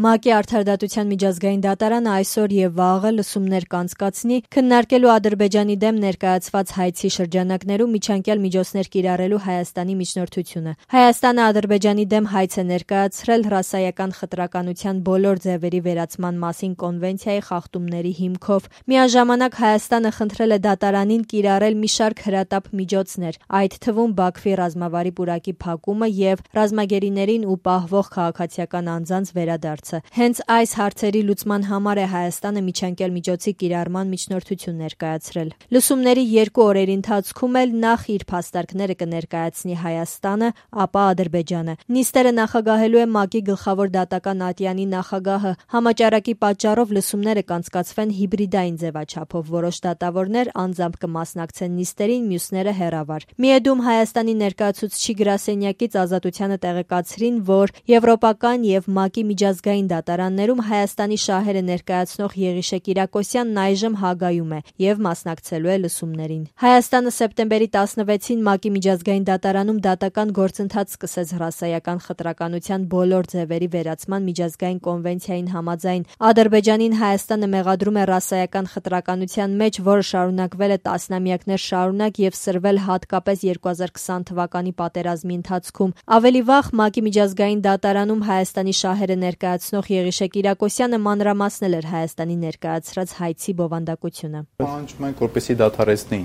ՄԱԿ-ի Արդարադատության միջազգային դատարանը այսօր եւ վաղը լսումներ կանցկացնի քննարկելու Ադրբեջանի դեմ ներկայացված հայցի շրջանակներում միջանկյալ միջոցներ կիրառելու Հայաստանի միջնորդությունը։ Հայաստանը Ադրբեջանի դեմ հայց է ներկայացրել ռասայական խտրականության բոլոր ձևերի վերացման մասին կոնվենցիայի խախտումների հիմքով։ Միաժամանակ Հայաստանը խնդրել է դատարանին կիրառել մի շարք հրատապ միջոցներ, այդ թվում Բաքվի ռազմավարի պուրակի փակումը եւ ռազմագերիներին ու պահվող քաղաքացիական անձանց վերադարձը։ Հենց այս հարցերի լուծման համար է Հայաստանը միջանկյալ միջոցի կիրառման միջնորդություն ներկայացրել։ Լսումների 2 օրերի ընթացքում էլ նախ իր փաստարկները կներկայացնի Հայաստանը, ապա Ադրբեջանը։ Նիստերը նախագահելու է ՄԱԿ-ի գլխավոր դատական ատյանի նախագահը։ Համաճարակի պատճառով լսումները կանցկացվեն հիբրիդային ձևաչափով։ Որոշ դատավորներ անձամբ կմասնակցեն նիստերին, մյուսները հեռավար։ Միեդում Հայաստանի ներկայացուցչի գրասենյակից Ազատությանը տեղեկացրին, որ եվրոպական եւ ՄԱԿ-ի միջազգային դատարաններում Հայաստանի շահերը ներկայացնող Եղիշե Կիրակոսյանն այժմ Հագայում է եւ մասնակցելու է լսումներին։ Հայաստանը սեպտեմբերի 16-ին ՄԱԿ-ի միջազգային դատարանում դատական գործընթաց սկսեց ռասայական խտրականության բոլոր ձևերի վերացման միջազգային կոնվենցիային համաձայն։ Ադրբեջանին Հայաստանը մեղադրում է ռասայական խտրականության մեջ, որը շարունակվել է տասնամյակներ շարունակ եւ սրվել հատկապես 2020 թվականի պատերազմի ընթացքում։ Ավելի վաղ ՄԱԿ-ի միջազգային դատարանում Հայաստանի շահերը ներկայացնող Եղիշե Կիրակոսյանը մանրամասնել էր Հայաստանի ներկայացրած հայցի բովանդակությունը։ Պահանջում ենք, որպեսզի դադարեցնի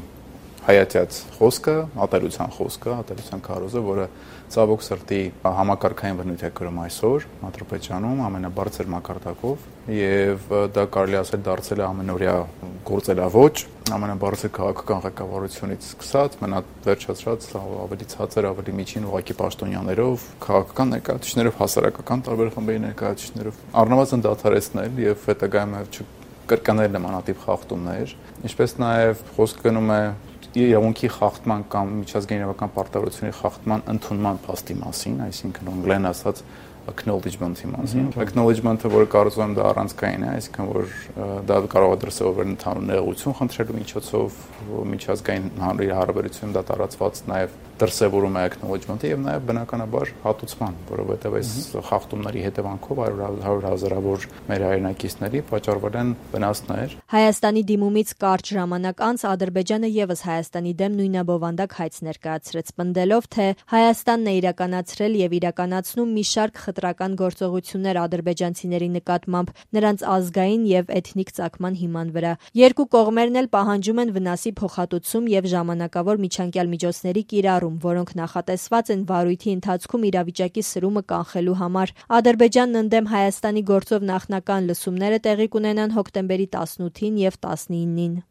հայացած խոսքը, ատելության քարոզը, որը ցավոք սրտի համակարգային բնույթ է կրում այսօր Ադրբեջանում ամենաբարձր մակարդակով եւ դա կարելի ասել դարձել է ամենօրյա գործելավոճ ամենաբարձր քաղաքական ղեկավարությունից սկսած մնաց վերջացրած ավելի ցածր, ավելի միջին ուղղակի պաշտոնյաներով, քաղաքական ներկայացուցիչներով, հասարակական տարբեր խմբերի ներկայացուցիչներով առնվազն դադարեցնել եւ հետագայում կրկնել նմանատիպ խախտումներ, ինչպես նաեւ խոսք գնում է իրավունքի խախտման կամ միջազգային իրավական պարտավորությունների խախտման ընդունման փաստի մասին, այսինքն անգլերեն ասած acknowledgement-ի մասին։ Acknowledgement-ը, որը կարծում եմ դա առանցքային է, այսինքն որ դա կարող է դրսևորվել ընդհանուր նեղություն խնդրելու միջոցով, միջազգային հարաբերությունում դա տարածված նաև դրսևորում է acknowledgement-ը եւ նաեւ բնականաբար հատուցման, որովհետեւ այս խախտումների հետևանքով 100 հազարավոր մեր հայրենակիցների պատճառվել են վնասներ։ Հայաստանի դիմումից կարճ ժամանակ անց Ադրբեջանը եւս Հայաստանի դեմ նույնաբովանդակ հայց ներկայացրեց, պնդելով, թե Հայաստանն է իրականացրել եւ իրականացնում մի շարք խտրական գործողություններ ադրբեջանցիների նկատմամբ նրանց ազգային եւ էթնիկ ծագման հիման վրա։ Երկու կողմերն էլ պահանջում են վնասի փոխհատուցում եւ ժամանակավոր միջանկյալ միջոցների կիրառում, որոնք նախատեսված են վարույթի ընթացքում իրավիճակի սրումը կանխելու համար։ Ադրբեջանն ընդդեմ Հայաստանի գործով նախնական լսումները տեղի կունենան հոկտեմբերի 18-ին եւ 19-ին։